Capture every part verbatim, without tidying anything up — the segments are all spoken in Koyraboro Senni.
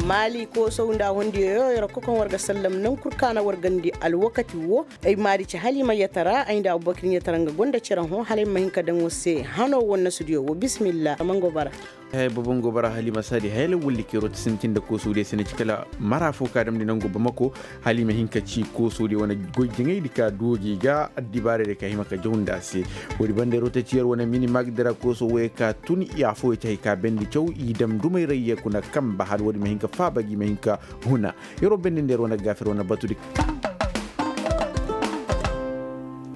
Maali koosow nda hondiyo yo yer ga kokoŋ war ga sallam naŋ kul kaana war gandi alwakati wo. Ay maari ci haliima yatara ay nda abubakar yatara nga gonda cere hõ hala ay ma hin ka daŋ war se hano wo nasudiyo wo bismillah a mango bara. Haya bobo nga bara haliima saadi haya lawwal di keeroo ti sintin nda koosoo diyo se na ci kala mara fo ka damndi nango bamako. Haliima hin ka ci koosoo diyo wane goy jaŋay di ka dooji ga addibaarey di ka hima ka jaw nda a se. Woodi banda yeroo ta ci yer wane mini maagdi ra koosoo woyey ka tun i afooyey ci hay ka bendi caw i dam dumay ra i ye kuna kamba hala woodi ma hin ka faaba gi ma hin ka huna. Yeroo bendi nda yer wane gaafer wane batu di.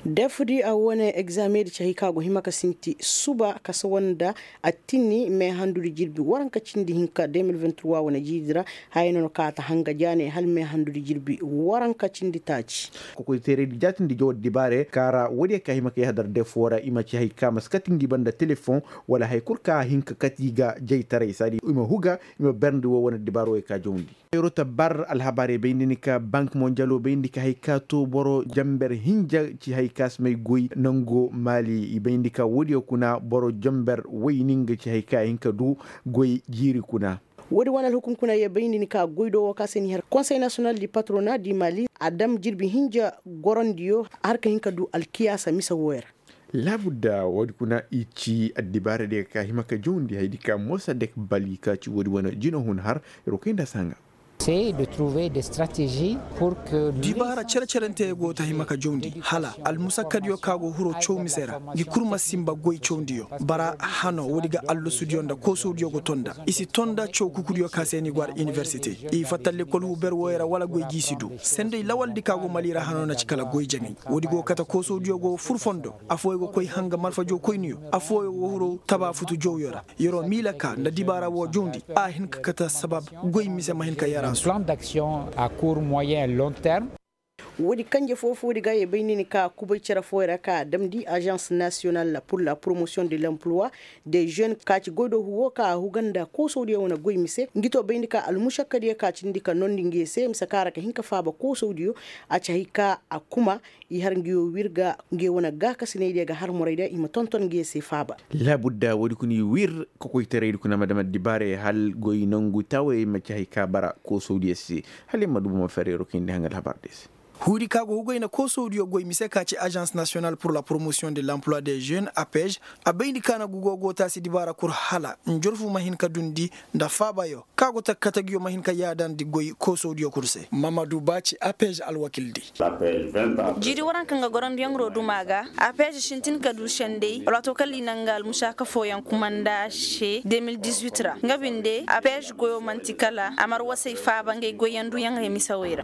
Defudi a wane egzaamey di ci hay ka go hima ka sinti suba ka sawa nda a tinni meehandudi jirbi waranka cindi hinka deux mille vingt-trois wane jiidi ra. Haya no na kaata hanga jaaney hala meehandudi jirbi waranka cindi taaci. Kokoyteerey di jaatindi jaw addibaarey kaara woodiyo ka hima ka yahadar defoo ra i ma ci hay ka ma si kati ngi banda telefoŋ wala hay kul ka hin ka kati i ga jaytaray saadi i ma huga i ma berndi wo wane addibaarey ka jawndi. Yeroo ta bar alhabaarey bayndi ni ka bank monjalo bayndi ka hay ka to boro jamber hinja ci hay ka si may goy nango maali i bayndi ka woodiyo kuna boro jamber woyni nga ci hay ka hin ka du goy jiiri kuna. Woodi wane alhukum kuna ye bayndi ni ka goy do wo ka se ni har konsey nasiyonal di patrona di maali a dam jirbi hinja gorondiyo har ka hin ka du alkiyaasa mise wooyo ra. Laabudda woodi kuna i ci addibaarey di ga ka hima ka jawndi haydi ka mosa dek bali ka ci woodi wane jina hun har yeroo kay nda saŋa. Dibaara cere-cerentey go ta hima ka jawndi hala almusakkadiyo ka go hiro caw mise ra ngi kul ma sinba goy cawndiyo. Bara hano woodi ga allasudiyo nda koosawdiyo go tonda i si tonda caw kukudiyo ka se ni go har iniwersite i fatta lekkol huuber wooyo ra wala goy gi si du. Senday lawaldi ka go mali ra hano na ci kala goy jaŋay. Woodi go kate koosawdiyo go fur fondo. Afooyo go koy hanga marfajo koyniyo. Afooyo go hiro taba futu jawyo ra. Yeroo miila ka nda dibaara woo jawndi a hin ka kate sabab goy mise ma hin ka yara su. Woodi kanje foo-foodi ga ye bay ni ni ka kubay cere fooyo ra ka a damndi agence nationale pour la promotion de l'emploi des jeunes ka ci goydoohu woo ka a huga nda koosawdiyo wane goy mise ngi to bayndi ka almušakkadiyo ka cindi ka noondi ngi ye se mise ka ra ka hin ka faaba koosawdiyo. A ci hay ka a kuma i har ngi woo wir ga ngi wane gaakasinaydiyo ga har moraydiyo i ma tonton ngi ye se faaba. Laabudda woodi kuna i wir kokoytaraydi kuna ma dam addibaarey hal goy nongu taawayey ma ci hay ka bara koosawdiyo se. Hala i ma du buma ferreero kayndi haŋ alhabar de se. Huudi ka go hugoy na koosawdiyo goy mise ka ci agence nationale pour la promotion de l'emploi des jeunes apej. A bayndi ka na gugo go taasi dibaara kul hala njorfu ma hin ka dundi nda faabayo ka go takkata ngiyo ma hin ka yaadandi goy koosawdiyo kul se mamadu ba ci apej alwakildi. Jiiri waranka nga gorondiyaŋ ro duma ga apej sintin ka du sendey alwaato kala i na nga almusaaka fooyaŋ kuma nda a se deux mille dix-huit ra nga binde apej goyo man'ti kala a marwasey faaba ngey goyyaŋ duyaŋ ra i misawey ra.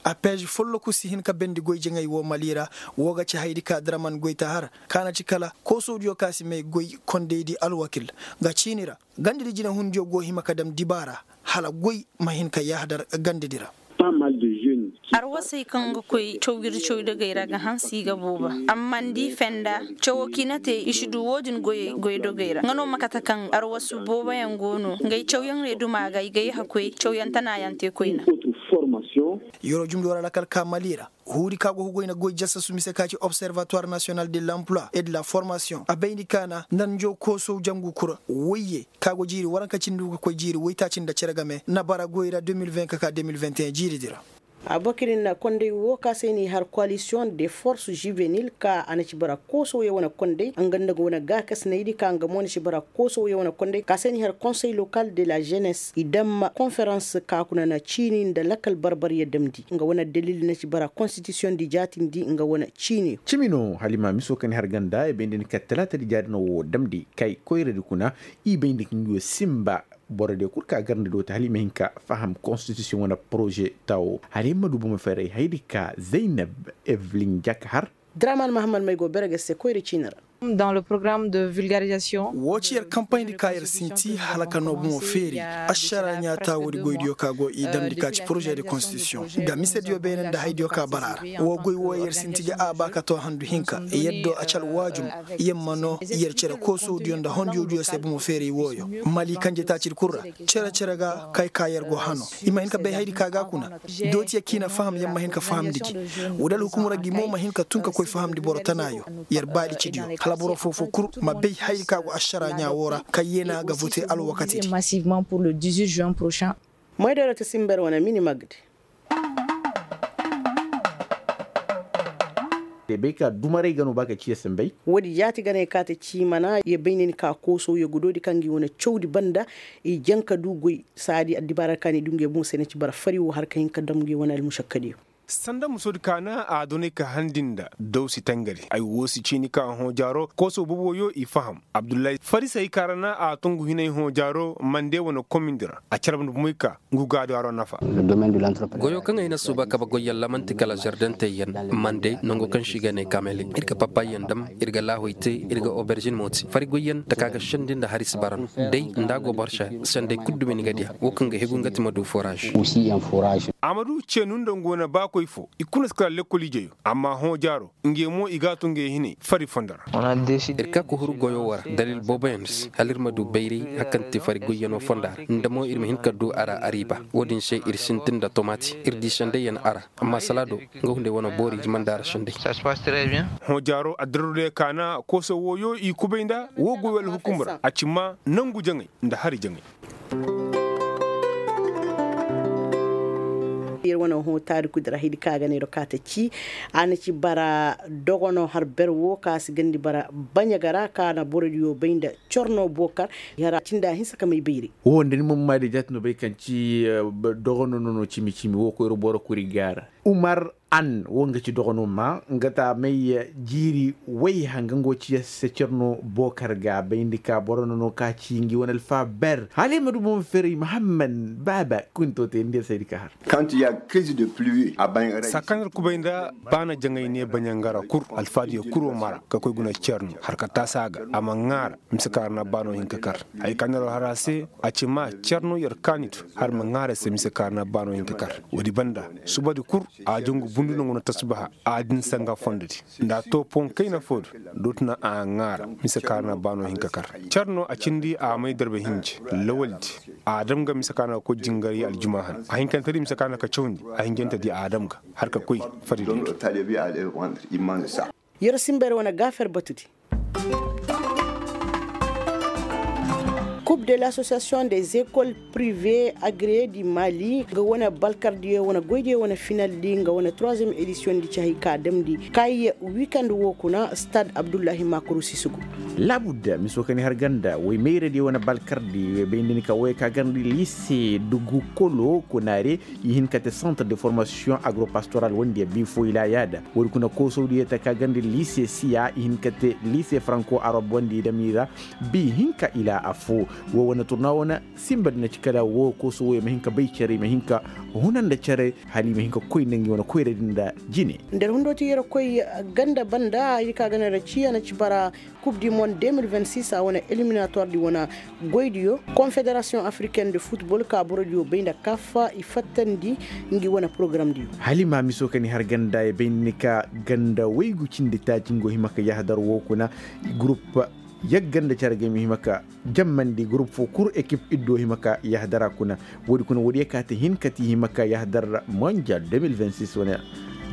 Apej folloku si hin ka bendi goy jaŋay woo mali ra. Woo ga ci hayadi ka draman goy ta har ka na ci kala koosawdiyo ka si may goy kondaydi alwakil. Nga ciini ra gandadi jinahundiyo go hima ka dam dibaara hala goy ma hin ka yahadar gandadi ra. Arwasey kaŋ ga koy caw ir caw dogey ra ga hanse i ga booba. Amma ni di fenda cawo kaŋ i na te i si du woo din goy dogey ra nga no ma kate kaŋ arwasu booboyaŋ go no ngey cawyaŋ reeduma ga i ga yaha koy cawyaŋ tanayaŋ te koyna. Yeroo jumdi war alakal ka mali ra. Huudi ka go hugoy na goy jasasu mise ka ci observatoire national de l'emploi et de la formation a bayndi ka na nda njo koosow jangu kura woyye ka go jiiri waranka cindi ga koy jiiri woytaaci nda cere game na bara goy ra deux mille vingt ka ka deux mille vingt et un jiiridi ra. Abakir na konday wo ka se ni har coalition de force juvenile ka a na ci bara koosawyaŋ wane konday nga nda nga wane gaakasinaydi ka nga mo na ci bara koosawyaŋ wane konday ka se ni har conseil local de la jeunesse i damma konferans ka kuna na ciini nda lakal barbaryaŋ damndi nga wane dalil na ci bara konstitisiyoŋ di jaatindi nga wane ciini. Cimi no hala i ma miso kaŋ ni har ganda i bay nda ni ka talaata di jaadi no wo damndi kay koyradi kuna. I bay nda ka ngi wo sinba boro diyo kul ka garndi do te hala i ma hin ka faham konstitisiyoŋ wane poroze taawo hala i ma du buma feeray hayadi ka zaynab evelin jaka har. Draman mahammad may go bere ga se koyra ciini ra. Woo ci yer kampayndi ka yer sinti hala ka noo bomo feeri ašara ɲaata woodi goydiyo ka go i damndi ka ci poroze de konstitisiyoŋ ga misediyo beene nda haydiyo ka bara ra. Woo goy woo yer sinti ga a ba ka too handu hinka yaddo a ci alwaajum. Yer ma noo yer cere koosodiyo nda hondiyodiyo se bomo feeri wooyo mali kanje taacidi kul ra. Cere-cere ga kay ka yer go hano i ma hin ka bay haydi ka ga kuna. Dootiya kaŋ i na faham yer ma hin ka fahamndi gi. Woo da alhukumura gi mo ma hin ka tun ka koy fahamndi boro tanaayo. Yer baali cidiyo. Boro foo-foo kul ma bay hayri ka go ašara ɲaa woo ra kaŋ yeena ga vote alwakatidi. Massivement pour le dix-huit juin prochain. Moydoro ti simber wane mini magdi. Day bay ka dumaray ga no ba ka ciya sambay. Woodi jaati ganey ka ta ciimana ye bay ni ka koosow ye gudoodi kaŋ gi wane cawdi banda. I jaŋ ka du goy saadi addibaara kaŋ i du nge boŋ se na ci bara fari wo har ka hin ka dam nge wane almušakkadiyo. Sanda musoodi kaana a donay ka handi nda daw si tangari ay woo si ciini ka hõ jaaro kooso boboyo i faham. Abdullahi farisey kaŋ ra na a tungu hinay hõ jaaro mande wane komindi ra a cere banda bumoy ka ngu gaado haro nafa. Goyo kaŋ ay na suuba kabe goyyaŋ ra man'ti kala zardentey yaŋ. Mande nango kaŋ se i ga ne kamele ir ga papayyaŋ dam, ir ga laahoy te, ir ga oberžin mo te fari goyyaŋ taka ga sendi nda hari si bara no. Day nda a go boro se sendey kul dumi ni ga diya woo kaŋ ga hegu nga ti ma du foraaz. A ma du ceenu nda ngu wane baakoy foo i kulu na si kala lekkol ijeyo. Amma hõ jaaro ngey mo i g'a tun ngey hinay fari fondo ra. Ir ka ka huru goyo wo ra dalil booboyaŋ se hala ir ma du bayray hari kaŋ ti fari goyyaŋo fonda ra nda mo ir ma hin ka du a ra ariiba. Wo-din se ir sintin nda tomaati ir di sendayyaŋ a ra. Amma salaado nga hunday wane boori i manda a ra sendey. Hõ jaaro addirarudey kaana kooso wooyo i kubay nda woo goyo alhukum ra a ci maa nangu jaŋay nda hari jaŋay. Yer wane hõ taarikudi ra hidi ka ga ne ro ka ta ci a na ci bara dogono har ber wo ka si gandi bara baɲa ga ra ka na borodiyo bay nda corno bokar. Yara cinda hinsa ka may bayri. Wo nda ni ma ma da jaati no bay kaŋ ci dogono no no cimi cimi wo koyro boro kuri ga ra. Umar an wo nga ci dogono ma nga ta may jiiri way hanga nga wo ci ya se cerno bokar ga bayndi ka boro no no ka ci ngi wane alfa ber hala i ma du boŋ feri muhammad baaba kunto te nda ya saydi ka har. Sakanir kubay nda baana jaŋay ne baɲangara kur alfaadiyo kuro mara ka koy guna cerno har ka taasa ga a ma ŋaara mise ka har na baano hin ka kar. Hay ka nero har a se a ci ma cerno yer kaanitu har ma ŋaara se mise ka har na baano hin ka kar. Woodi banda subadi kur a jongu bundu nanguna tasubaha a din sanga fondodi nda a to pon kayna foodu. Dotuna a ŋaara mise ka har na baano hin ka kar. Cerno a cindi a may darba hinje lawaldi a dam ga mise ka har na ga koy jingaray aljumaa han a hinkantedi mise ka har na ga cawndi a hinjantedi a dam ga har ka koy fari. Yer simber wane gaafer batudi. Coupe de l'association des écoles privées agréées du mali nga wane balkardiyo wane goydiyo wane finaldi nga wane troisième éditiyondi ci hay ka damndi kay. Wikand wo kuna stade abdullahi makuru sisugu. Laabudda miso ka ni har ganda woy mayradiyo wane balkardi woy bay nda ni ka woy ka garndi lise dugu kolo kuna re. I hin ka te centre de formation agropastoral wandiya bi fo i laa yaada woodi kuna koosowdiyo ta ka garndi lise siya i hin ka te lise franco arab wandi i dam i ra. Bi hinka i laa affoo. Woo wane turna wane simba di na ci kala woo kooso woo i ma hin ka bay cere i ma hin ka huna nda cere. Hala i ma hin ka koy nda ngi wane koyra di nda jine. Nda ir hundoo ti yer koy ganda banda ir ka ganda ra ciya na ci bara. Kub di mond deux mille vingt six a wane eliminator di wane goydiyo. Konfederasiyoŋ afriken de futbol ka borodiyo bay nda kaf i fattandi. Ngi wane porogaram diyo. Hala i ma miso ka ni har ganda ya bay nda ni ka ganda waygu cindi taaci ngi go hima ka yahadar woo kuna. Gurup yagga nda care ga i ma hima ka jammandi gurup foo kul ekip iddo hima ka yahadara kuna. Woodi kuna woodiyo ka ta hin ka ti hima ka yahadar mondial deux mille vingt six wane.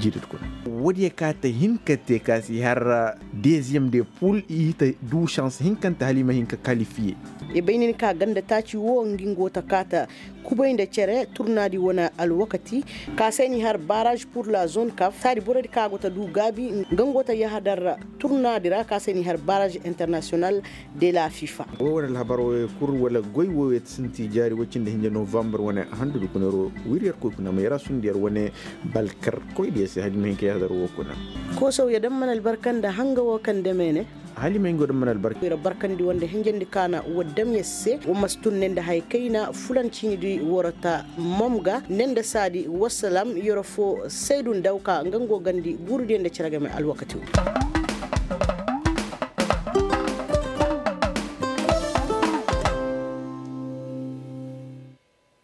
Jiidit kuna woodiyo ka ta hin ka te ka si har deziyem de pul i ta du sans hinkante hala i ma hin ka kalifiye. I bay nin ka ganda taaci wo ngi ngo ta kaata kubay nda cere turnaadi wane alwakati. Ka se ni har barrage pur la zone kaf saadi borodi ka go ta du gaabi nga ngo ta yahadar turnaadi ra ka se ni har barrage international. De la fifa. Woo wane alhabar wooyo kul wala goy wooyo ti sinti jaari woy cindi hinja novambar wane handu du kuna yer woo wiri yer koy kuna ma yer a sundi yer wane balkar koydiyo se hala i ma hin ka yahadar woo kuna. Koosow ya daŋ mana albarka nda hanga woo kaŋ dame ne. Hala i ma hin go daŋ mana albarka. Yer barkandi woo nda hinjandi kaana woo dam yer se woo ma si tun ne nda haya kayna fulan ciini di warata mom ga ne nda saadi wassalam yer foo saydu nda woo ka nga ngo gandi guurudiyo nda cere game alwakati woo.